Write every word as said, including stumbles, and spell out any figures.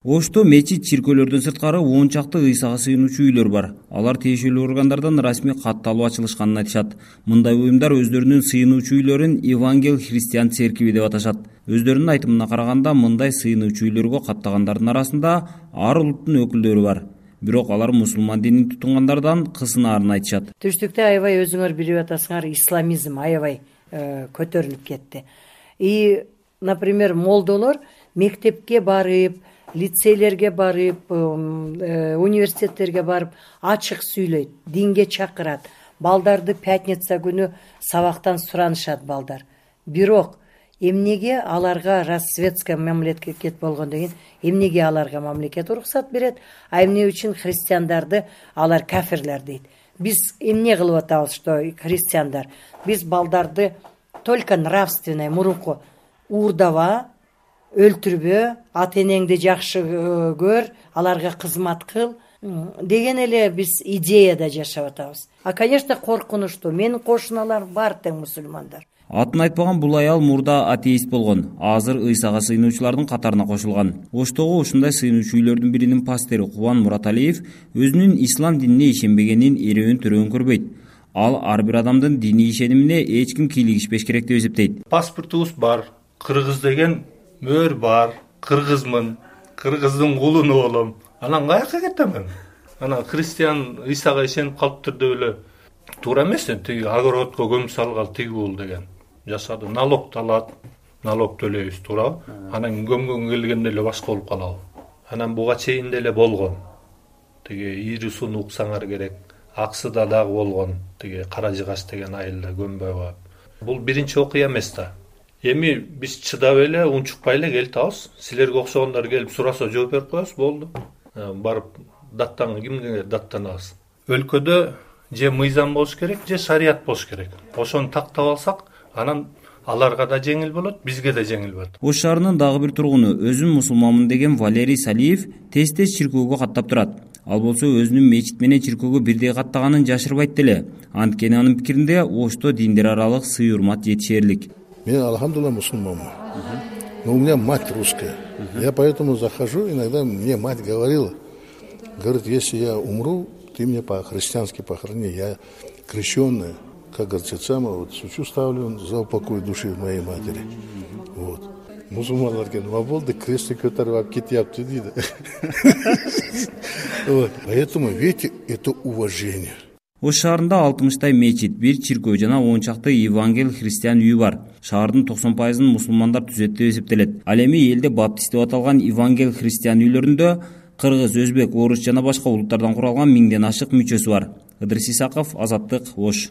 Ошто мечит, чиркөөлөрдөн сырткары он чакты ыйсага сыйынуучу үйлөр бар. Алар тиешелүү органдардан расмий катталып ачылышканын айтышат. Мындай уюмдар өздөрүнүн сыйынуучу үйлөрүн Евангел Христиан церкви деп аташат. Өздөрүнүн айтымына караганда, мындай сыйынуучу үйлөргө каттагандардын арасында ар улуттун өкүлдөрү бар. Бирок алар мусулман динин тутунгандардан кысынаарын айтышат. Түштүктө аябай өзүңөр билип атасыңар, исламизм аябай көтөрүлүп кетти. И, например, молдолор мектепке барып, лицейлерге барып, университеттерге барып ачык сүйлөйт, динге чакырат. Балдарды пятница күнү сабактан суранышат балдар. Бирок эмнеге аларга расветская мамлекет болгондон кийин эмнеге аларга мамлекет уруксат берет, а эмне үчүн христиандарды алар кафирлер дейт. Биз эмне кылып атабыз, что христиандар? Биз балдарды только нравственный, мурунку уурдаба, өлтүрбө, ата энеңди жакшы көр, аларга кызмат кыл деген эле биз идеяда жашап атабыз. А, конечно, коркунучтуу. Менин кошуналарым бар тең мусулмандар. Атын айтпаган бул аял мурда атеист болгон. Азыр ыйсага сыйынуучулардын катарына кошулган. Оштогу ушундай сыйынуучу үйлөрдүн биринин пастыры Кубан Мураталиев өзүнүн ислам динине ишенбегенин эреүн төрөөн көрбөйт. Ал ар бир адамдын диний ишенимине эч ким кийлигишпеш керек деп эсептейт. Паспортубуз бар, кыргыз деген мөр бар, кыргызмын, кыргыздын кулуну болом. Анан каяка кетем мен? Анан христиан ыйсага ишенип калыптыр деп эле туура эмес. Тиги огородко көмүп салгал тиги бул деген. Жашады, налог алат, налог төлөйбүз, туурабы? Анан көмгөнгө келгенде эле башка болуп калабы? Анан буга чейин деле болгон. Тиги Иирусуну уксаңар керек. Аксыда дагы болгон. Тиги Кара Жыгач деген айылда көмбөй коюп. Бул биринчи окуя эмес да. Эми биз чыдап эле, унчукпай эле келтабыз. Силерге окшогондор келип сураса жооп берип коебуз, болду. Барып даттан кимге даттанабыз? Өлкөдө же мыйзам болуш керек, же шарият болуш керек. Ошону тактап алсак, анан аларга да жеңил болот, бизге да жеңил болот. Ош шаарынын дагы бир тургуну, өзүм мусулманмын деген Валерий Салиев тез-тез чиркөөгө каттап турат. Ал болсо өзүнүн мечит менен чиркөөгө бирдей каттаганын жашырбайт деле. Анткени анын пикиринде Ошто диндер аралык сый урмат жетишерлик. Я, алхамдулилlah, мусульманмын. Но у меня мать русская. Я поэтому захожу, иногда мне мать говорила, говорит, если я умру, ты меня по-христиански похорони, я крещенная, как говорится, самое, вот свечу ставлю за упокой души моей матери. Вот. Мусульмандар кен ваболды крестти көтөрүп алып кетиптир дейт. Вот. Поэтому, видите, это уважение. Ош шаарында алтымыштай мечит, бир чиркөө жана он чакты Евангел Христиан үйү бар. Шаардын токсон пайызын мусулмандар түзөт деп эсептелет. Ал эми элде баптист деп аталган Евангел Христиан үйлөрүндө кыргыз, өзбек, орус жана башка улуттардан куралган миңден ашык мүчөсү бар. Ыдырыс Исаков, Азаттык, Ош.